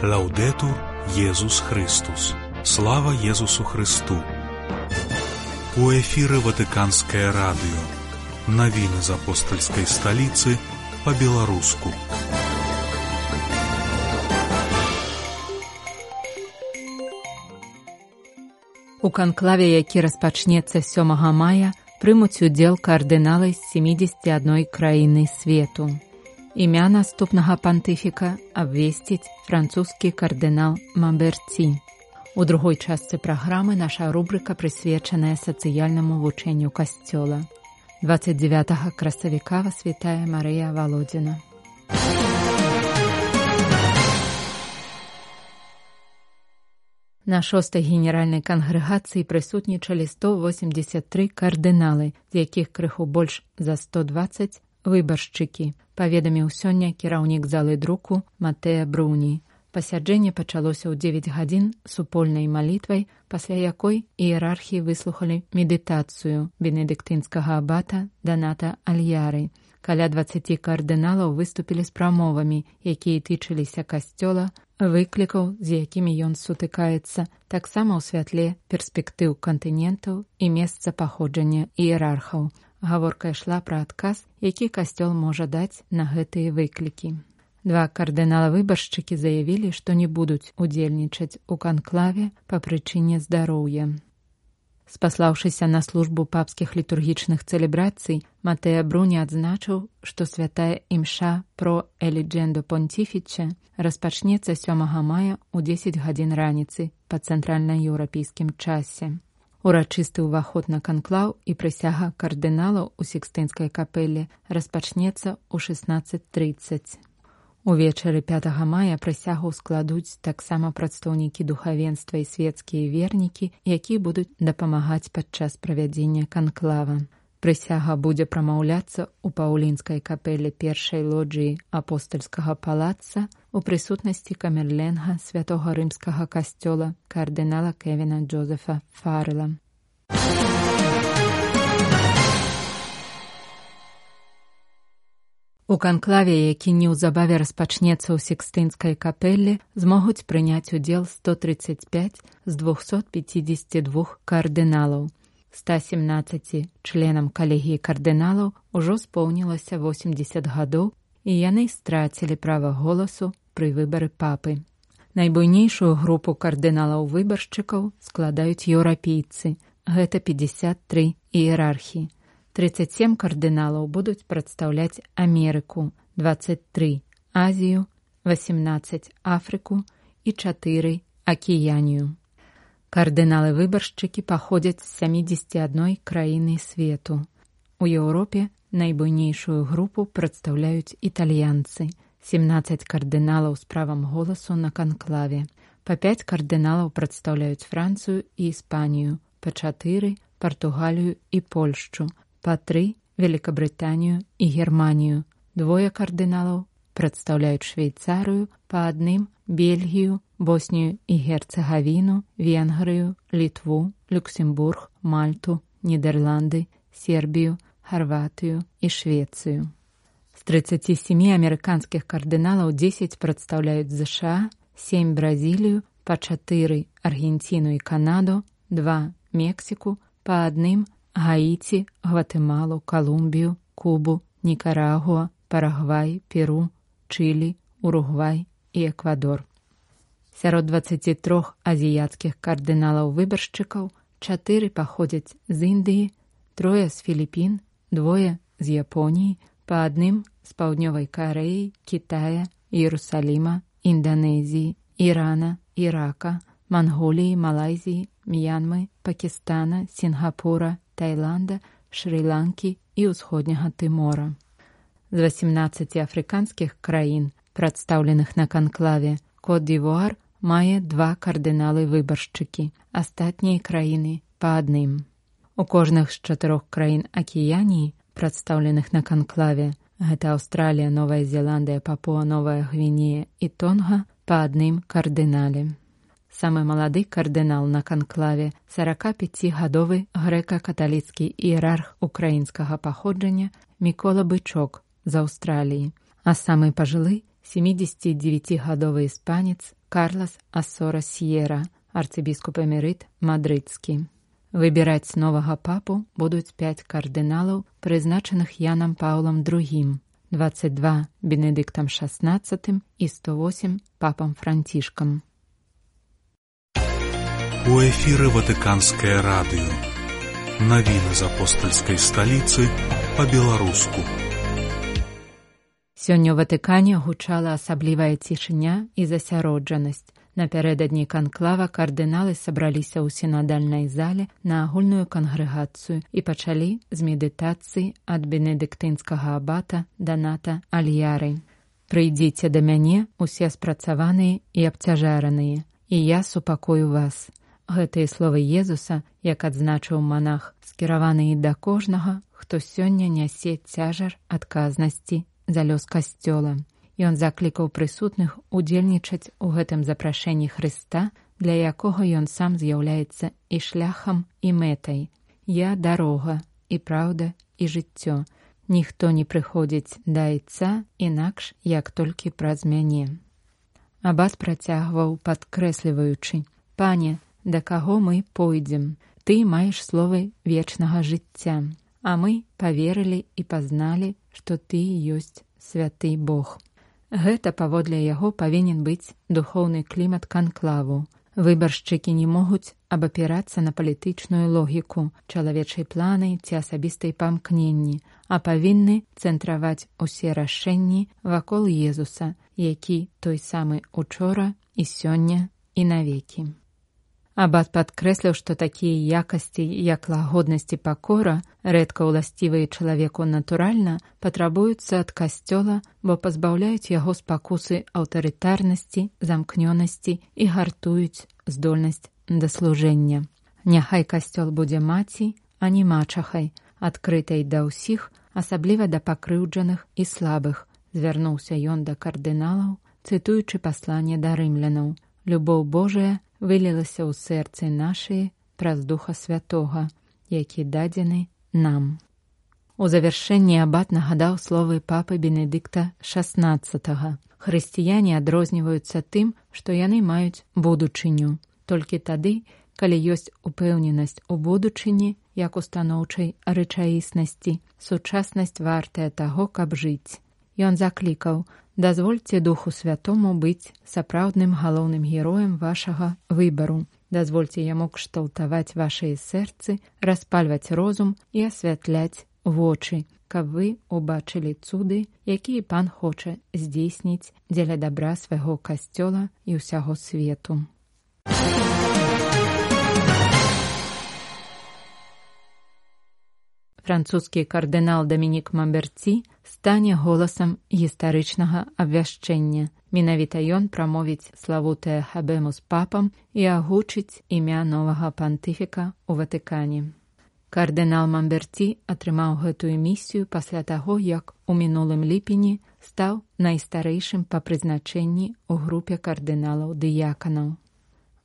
Лаўдетур Єсус Христос. Слава Єсусу Христу. У эфіры Ватыканскае радыё. Навіны з апостальскай сталіцы па-беларуску. У канклаве, які распачнецца 7 мая, прымуць удзел кардыналы з 71 краіны свету. Імя наступнага пантыфіка абвесціць французскі кардынал Мамберці. У другой частцы праграмы наша рубрыка прысвечаная сацыяльнаму вучэнню касцёла. 29 красавіка святая Марыя Володина. На 6-й генеральнай кангрэгацыі прысутнічалі 183 кардыналы, з якіх крыху больш за 120 выбаршчыкі, паведаміў сёння кіраўнік залы друку Матэа Бруні. Пасяджэнне пачалося ў 9 гадзін супольнай малітвай, пасля якой іерархі выслухалі медытацыю бенедыктынскага абата Даната Альяры. Каля 20 кардыналаў выступілі з прамовамі, якія тычыліся касцёла, выклікаў, з якімі ён сутыкаецца, таксама ў святле перспектыў кантынентаў і месца паходжання іерархаў. Гаворка ішла пра адказ, які касцёл можа даць на гэтыя выклікі. 2 кардынала-выбаршчыкі заявілі, што не будуць удзельнічаць у канклаве па прычыне здароўя. Спаслаўшыся на службу папскіх літургічных цэлебрацый, Матэа Бруні адзначыў, што святая імша про Еліджендо Понтіфіче распачнецца 7 мая ў 10 гадзін раніцы па цэнтральна-еўрапейскім часе. Урачысты ўваход на канклаў і прысяга кардыналаў у Сікстынскай капэле распачнецца ў 16:30. Увечары 5 мая прысягу складуць таксама прадстаўнікі духавенства і свецкія вернікі, якія будуць дапамагаць падчас правядзення канклава. Прысяга будзе прамаўляцца ў Паўлінскай капэле першай лоджыі апостальскага палаца у прысутнасці камерленга святога рымскага касцёла кардынала Кевіна Джозефа Фаррела. У канклаве, які неўзабаве распачнецца ў Сікстынскай капэле, змогуць прыняць удзел 135 з 252 кардыналаў. 117 членам калегіі кардыналаў ужо споўнілася 80 гадоў, і яны страцілі права голасу пры выбары папы. Найбуйнейшую групу кардыналаў-выбаршчыкаў складаюць еўрапейцы. Гэта 53 іерархі. 37 кардыналаў будуць прадстаўляць Амерыку, 23 Азію, 18 Афрыку і 4 Акіянію. Кардыналы-выбаршчыкі паходзяць з 71 краіны свету. У Еўропе найбуйнейшую групу прадстаўляюць італьянцы, 17 кардыналаў з правам голасу на канклаве. Па 5 кардыналаў прадстаўляюць Францыю і Іспанію, па 4 Партугалію і Польшчу, па 3 Великабрытанію і Германію. 2 кардыналаў прадстаўляюць Швейцарыю, па 1 Бельгію, Боснію і Герцагавіну, Венгрыю, Літву, Люксембург, Мальту, Нідерланды, Сербію, Харватыю і Швецыю. З 37 амерыканскіх кардыналаў 10 прадстаўляюць ЗША, 7 Бразілію, па 4 Аргенціну і Канаду, 2 Мексіку, па 1 Гаіці, Гватэмалу, Калумбію, Кубу, Нікарагуа, Парагвай, Перу, Чылі, Уругвай і Эквадор. Сярод 23 азіяцкіх кардыналаў-выбаршчыкаў 4 паходзяць з Індыі, 3 з Філіпін, 2 з Японіі, па 1 з Паўднёвай Карэі, Кітая, Іерусаліма, Інданезіі, Ірана, Ірака, Манголіі, Малайзіі, М'янмы, Пакістана, Сінгапура, Таіланда, Шры-Ланкі і ўсходняга Тымора. З 18 афрыканскіх краін, прадстаўленых на канклаве, Кот-д'Івуар мае 2 кардыналы-выбаршчыкі, астатнія краіны па 1. У кожных з 4 краін Акіяніі, прадстаўленых на канклаве, гэта Аўстралія, Новая Зеландыя, Папуа-Новая Гвінея і Тонга, па 1 кардынале. Самы малады кардынал на канклаве, 45-гадовы грэка-каталіцкі іерарх украінскага паходжання Мікола Бычок з Аўстраліі, а самы пажылы 79-гадовы іспанец Карлас Ассора Сьерра, арцыбіскуп эмерыт мадрыдскі. Выбіраць новага папу будуць 5 кардыналаў, прызначаных Янам Паўлам II, 22 Бенедыктам XVI і 108 папам Францішкам. У эфіры Ватыканскае радыё. Навіны з апостальскай сталіцы па-беларуску. Сёння ў Ватыкане гучала асаблівая цішыня і засяроджанасць. Напярэдадні канклава кардыналы сабраліся ў сінадальнай зале на агульную кангрэгацыю і пачалі з медытацыі ад бенедыктынскага абата Даната Альяры. «Прыйдзіце да мяне, усе спрацаваныя і абцяжараныя, і я супакою вас». Гэтыя словы Езуса, як адзначыў манах, скіраваныя да кожнага, хто сёння нясе цяжар адказнасці за лёс касцёла. Ён заклікаў прысутных удзельнічаць у гэтым запрашэнні Хрыста, для якога ён сам з'яўляецца і шляхам, і мэтай. «Я дарога, і праўда, і жыццё. Ніхто не прыходзіць да Айца інакш, як толькі праз мяне». Абат працягваў, падкрэсліваючы: «Пане, да каго мы пойдзем? Ты маеш словы вечнага жыцця, а мы паверылі і пазналі, што Ты ёсць святы Бог». Гэта, паводле яго, павінен быць духоўны клімат канклаву. Выбаршчыкі не могуць абапірацца на палітычную логіку, чалавечай планы ці асабістай памкненні, а павінны цэнтраваць усе рашэнні вакол Езуса, які той самы учора і сёння і навекі. Абат падкрэсліў, што такія якасці, як лагоднасць і пакора, рэдка ўласцівыя чалавеку натуральна, патрабуюцца ад касцёла, бо пазбаўляюць яго спакусы аўтарытарнасці, замкнёнасці і гартуюць здольнасць да служэння. Няхай касцёл будзе маці, а не мачахай, адкрытай да ўсіх, асабліва да пакрыўджаных і слабых, звярнуўся ён да кардыналаў, цытуючы пасланне да рымлянаў. «Любоў Божая вылілася ў сэрцы нашае праз Духа Святога, які дадзены нам». У завяршэнні абат нагадаў словы папы Бенедыкта XVI. Хрысціяне адрозніваюцца тым, што яны маюць будучыню. Толькі тады, калі ёсць упэўненасць у будучыні, як устаноўчай рэчаіснасці, сучаснасць вартая таго, каб жыць. Ён заклікаў: «Дазвольце Духу Святому быць сапраўдным галоўным героем вашага выбару. Дазвольце яму кшталтаваць вашыя сэрцы, распальваць розум і асвятляць вочы, каб вы убачылі цуды, якія Пан хоча здзейсніць дзеля дабра свайго касцёла і ўсяго свету». Французскі кардынал Дамінік Мамберці стане голасам гістарычнага абвяшчэння. Менавіта ён прамовіць славутае «Хабемус папам» і агучыць імя новага пантыфіка ў Ватыкане. Кардынал Мамберці атрымаў гэтую місію пасля таго, як у мінулым ліпені стаў найстарэйшым па прызначэнні ў групе кардыналаў-дыяканаў.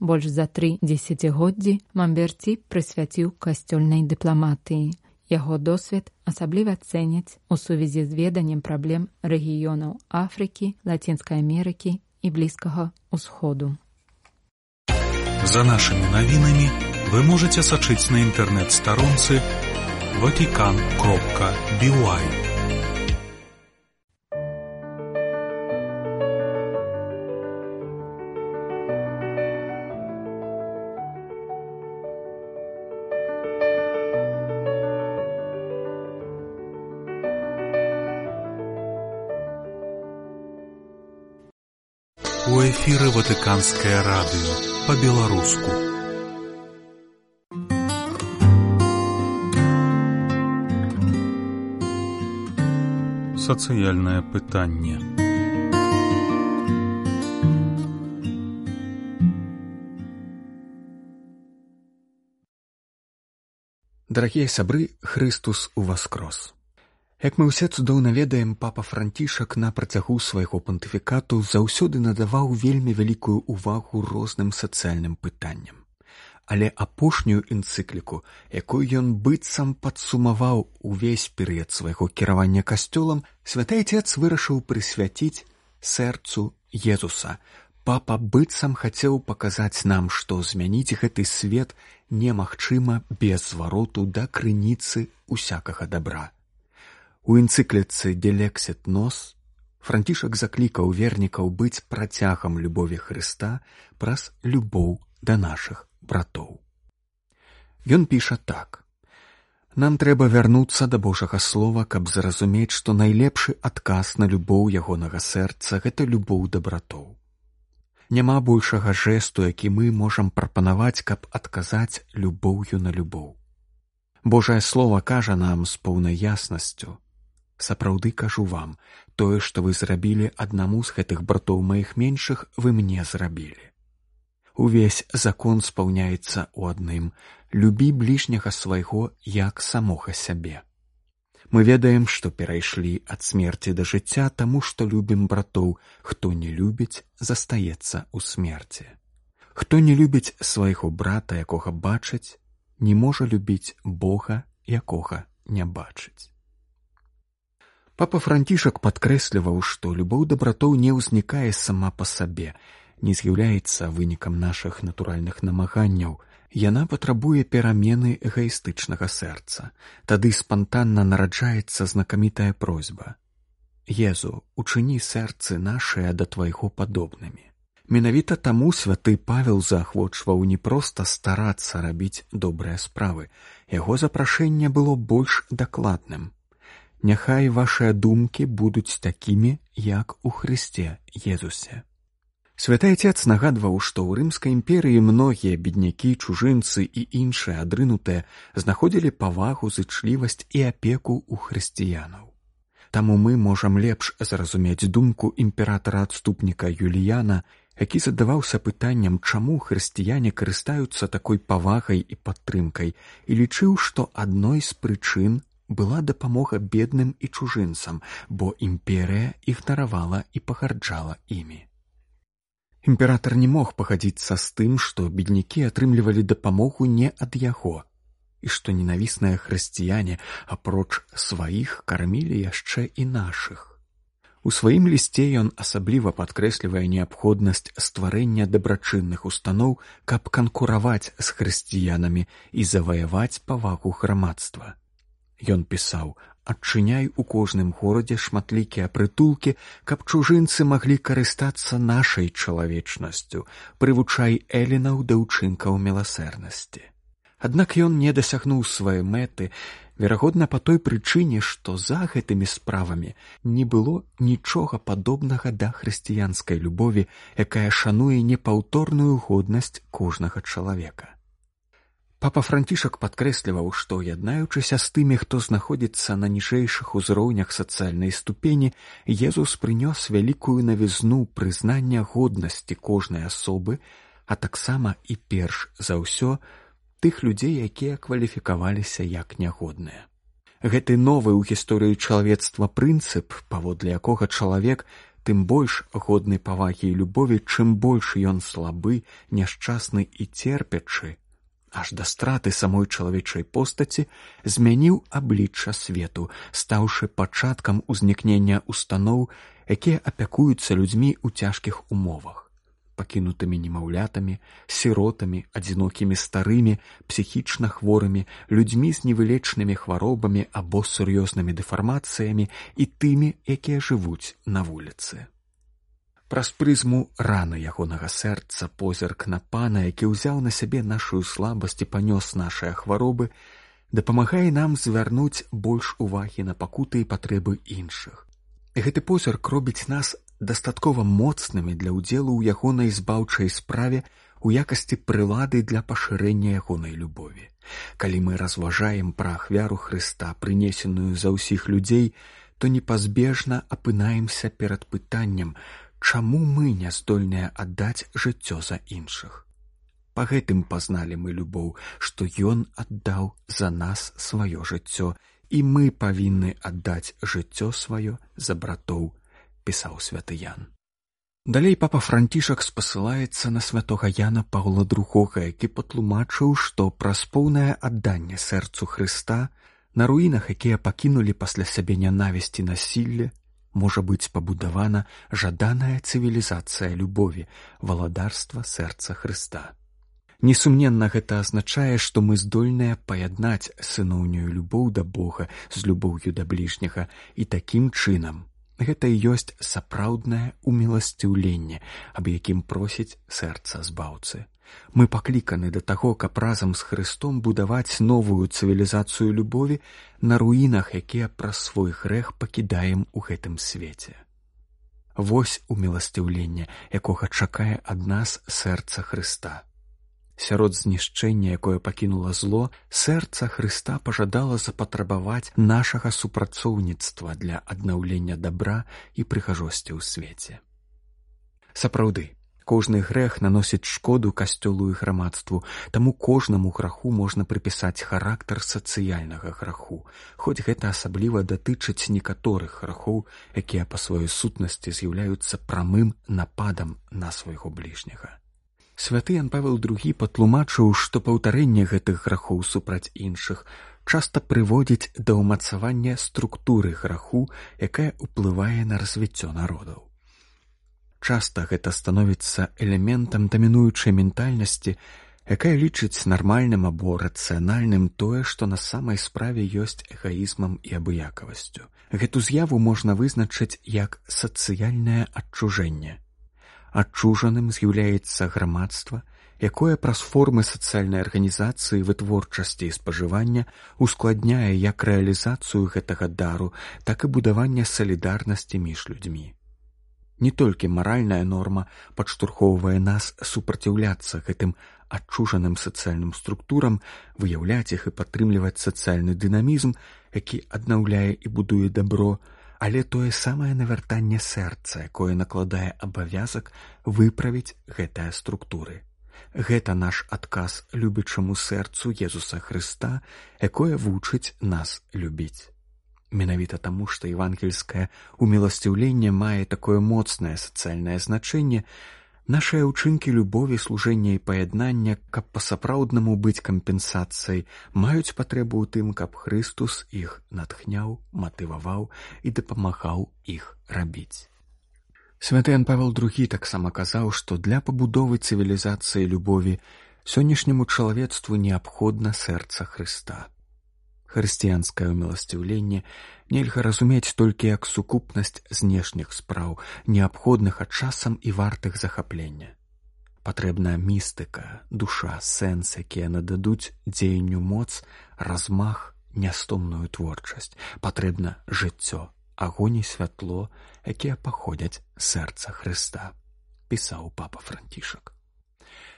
Больш за 3 дзесяцігоддзі Мамберці прысвяціў касцёльнай дыпламатыі. Яго досвед асабліва цэняць у сувязі з веданнем праблем рэгіёнаў Афрыкі, Лацінскай Амерыкі і Блізкага ўсходу. За нашымі навінамі вы можаце сачыць на інтэрнэт-старонцы vatican.by. У эфіры Ватыканскае радыё па-беларуску. Сацыяльнае пытанне. Дарагія сябры, Хрыстус уваскрос. Як мы ўсе цудоўна ведаем, папа Францішак на працягу свайго пантыфікату заўсёды надаваў вельмі вялікую ўвагу розным сацыяльным пытанням. Але апошнюю энцыкліку, якую ён быццам падсумаваў увесь перыяд свайго кіравання касцёлам, святы Айцец вырашыў прысвяціць сэрцу Езуса. Папа быццам хацеў паказаць нам, што змяніць гэты свет немагчыма без звароту да крыніцы усякага добра. У энцыкліцы «De Lexit Nos» Францішак заклікаў вернікаў быць працягам любові Хрыста праз любоў да нашых братоў. Ён піша так. Нам трэба вярнуцца да Божага слова, каб зразумець, што найлепшы адказ на любоў ягонага сэрца – гэта любоў да братоў. Няма большага жэсту, які мы можам прапанаваць, каб адказаць любоўю на любоў. Божае слова кажа нам з поўнай яснасцю: «Сапраўды кажу вам, тое, што вы зрабілі аднаму з гэтых братоў маіх меншых, вы мне зрабілі». Увесь закон спаўняецца ў адным: «Любі бліжняга свайго, як самога сябе». Мы ведаем, што перайшлі ад смерці да жыцця, таму што любім братоў. Хто не любіць, застаецца ў смерці. Хто не любіць свайго брата, якога бачыць, не можа любіць Бога, якога не бачыць. Папа Францішак падкрэсліваў, што любоў да братоў не ўзнікае сама па сабе, не з'яўляецца вынікам нашых натуральных намаганняў. Яна патрабуе перамены эгаістычнага сэрца. Тады спантанна нараджаецца знакамітая просьба: «Езу, учыні сэрцы нашыя да твайго падобнымі». Менавіта таму святы Павел заахвочваў не проста старацца рабіць добрыя справы. Яго запрашэнне было больш дакладным: «Няхай вашыя думкі будуць такімі, як у Хрысце Езусе». Святы Отец нагадваў, што ў Рымскай імперыі многія беднякі, чужынцы і іншыя адрынутыя знаходзілі павагу, зычлівасць і апеку ў хрысціянаў. Таму мы можам лепш зразумець думку імператара-адступніка Юліяна, які задаваўся пытаннем, чаму хрысціяне карыстаюцца такой павагай і падтрымкай, і лічыў, што адной з прычын была дапамога бедным і чужынцам, бо імперыя ігнаравала і пагарджала імі. Імператар не мог пагадзіцца з тым, што беднякі атрымлівалі дапамогу не ад яго, і што ненавісныя хрысціяне, апроч сваіх, кармілі яшчэ і нашых. У сваім лісце ён асабліва падкрэслівае неабходнасць стварэння дабрачынных устаноў, каб канкураваць з хрысціянамі і заваяваць павагу грамадства. Ён пісаў: «Адчыняй у кожным горадзе шматлікія прытулкі, каб чужынцы маглі карыстацца нашай чалавечнасцю, прывучай элінаў да ўчынкаў міласэрнасці». Аднак ён не дасягнуў сваёй мэты, верагодна па той прычыне, што за гэтымі справамі не было нічога падобнага да хрысціянскай любові, якая шануе непаўторную годнасць кожнага чалавека. Папа Францішак падкрэсліваў, што, яднаючыся з тымі, хто знаходзіцца на ніжэйшых узроўнях сацыяльнай ступені, Езус прынёс вялікую навізну прызнання годнасці кожнай асобы, а таксама і перш за ўсё тых людзей, якія кваліфікаваліся як нягодныя. Гэты новы ў гісторыі чалавецтва прынцып, паводле якога чалавек тым больш годны павагі і любові, чым больш ён слабы, няшчасны і церпячы, аж да страты самой чалавечай постаці, змяніў аблічча свету, стаўшы пачаткам узнікнення устаноў, якія апякуюцца людзьмі ў цяжкіх умовах, пакінутымі немаўлятамі, сіротамі, адзінокімі старымі, псіхічна хворымі, людзьмі з невылечнымі хваробамі або сур'ёзнымі дэфармацыямі і тымі, якія жывуць на вуліцы. Праз прызму раны ягонага сэрца позірк на Пана, які ўзяў на сябе нашую слабасць і панёс нашыя хваробы, дапамагае нам звярнуць больш увагі на пакуты і патрэбы іншых. Гэты позірк робіць нас дастаткова моцнымі для ўдзелу ў ягонай збаўчай справе у якасці прылады для пашырэння ягонай любові. Калі мы разважаем пра ахвяру Хрыста, прынесеную за ўсіх людзей, то непазбежна апынаемся перад пытаннем, чаму мы не здольныя аддаць жыццё за іншых. Па гэтым пазналі мы любоў, што ён аддаў за нас сваё жыццё, і мы павінны аддаць жыццё сваё за братоў, пісаў святы Ян. Далей папа Францішак спасылаецца на святога Яна Паўла II, які патлумачыў, што праз поўнае адданне сэрцу Хрыста на руінах, якія пакінулі пасля сябе нянавісць і насілле, можа быць пабудавана жаданая цывілізацыя любові, валадарства сэрца Хрыста. Несумненна, гэта азначае, што мы здольныя паяднаць сыноўнюю любоў да Бога з любоўю да бліжняга, і такім чынам гэта і ёсць сапраўднае уміласціўленне, аб якім просіць сэрца збаўцы. Мы пакліканы да таго, каб разам з Хрыстом будаваць новую цывілізацыю любові на руінах, якія праз свой грэх пакідаем у гэтым свеце. Вось уміласціўленне, якога чакае ад нас сэрца Хрыста. Сярод знішчэння, якое пакінула зло, сэрца Хрыста пажадала запатрабаваць нашага супрацоўніцтва для аднаўлення дабра і прыгажосці ў свеце. Сапраўды, кожны грэх наносіць шкоду касцёлу і грамадству, таму кожнаму граху можна прыпісаць характар сацыяльнага граху, хоць гэта асабліва датычыць некаторых грахоў, якія па сваёй сутнасці з'яўляюцца прамым нападам на свайго бліжняга. Святы Ян Павел II патлумачыў, што паўтарэнне гэтых грахоў супраць іншых часта прыводзіць да ўмацавання структуры граху, якая ўплывае на развіццё народаў. Часта гэта становіцца элементам дамінуючай ментальнасці, якая лічыць нармальным або рацыянальным тое, што на самай справе ёсць эгаізмам і абыякавасцю. Гэту з'яву можна вызначыць як сацыяльнае адчужэнне. Адчужаным з'яўляецца грамадства, якое праз формы сацыяльнай арганізацыі, вытворчасці і спажывання ускладняе як рэалізацыю гэтага дару, так і будаванне салідарнасці між людзьмі. Не толькі маральная норма падштурхоўвае нас супраціўляцца гэтым адчужаным сацыяльным структурам, выяўляць іх і падтрымліваць сацыяльны дынамізм, які аднаўляе і будуе дабро, але тое самае навяртанне сэрца, якое накладае абавязак выправіць гэтыя структуры. Гэта наш адказ любячаму сэрцу Езуса Хрыста, якое вучыць нас любіць. Менавіта таму, што евангельскае уміласціўленне мае такое моцнае сацыяльнае значэнне, нашыя ўчынкі любові, служэння і паяднання, каб па-сапраўднаму быць кампенсацыяй, маюць патрэбу ў тым, каб Хрыстус іх натхняў, матываваў і дапамагаў іх рабіць. Святы Ян Павел II таксама казаў, што для пабудовы цывілізацыі любові сённяшняму чалавецтву неабходна сэрца Хрыста. Хрысціянскае уміласціўленне нельга разумець толькі як сукупнасць знешніх спраў, неабходных а часам і вартых захаплення. Патрэбна містыка, душа, сэнс, якія нададуць дзеянню моц, размах, нястомную творчасць. Патрэбна жыццё, агонь і святло, якія паходзяць з сэрца Хрыста, пісаў папа Францішак.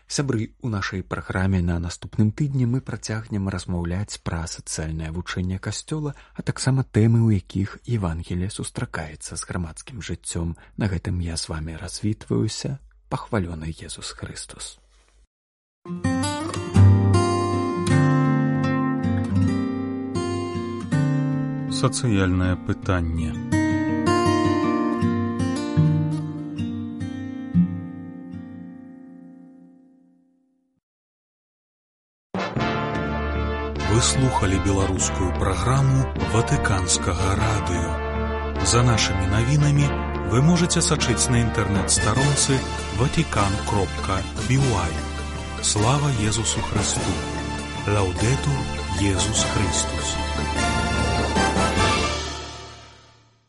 Сябры, у нашай праграме на наступным тыдні мы працягнем размаўляць пра сацыяльнае вучэнне Касцёла, а таксама тэмы, у якіх Евангелие сустракаецца з грамадскім жыццём. На гэтым я з вамі развітваюся. Пахвалёны Езус Христос. Сацыяльнае пытанне. Вы слухали беларускую праграму Ватыканскага радыё. За нашымі навінамі вы можете сачыць на інтэрнэт-старонцы vatican.by. Слава Езусу Христу! Лаўдэтур Езус Христус!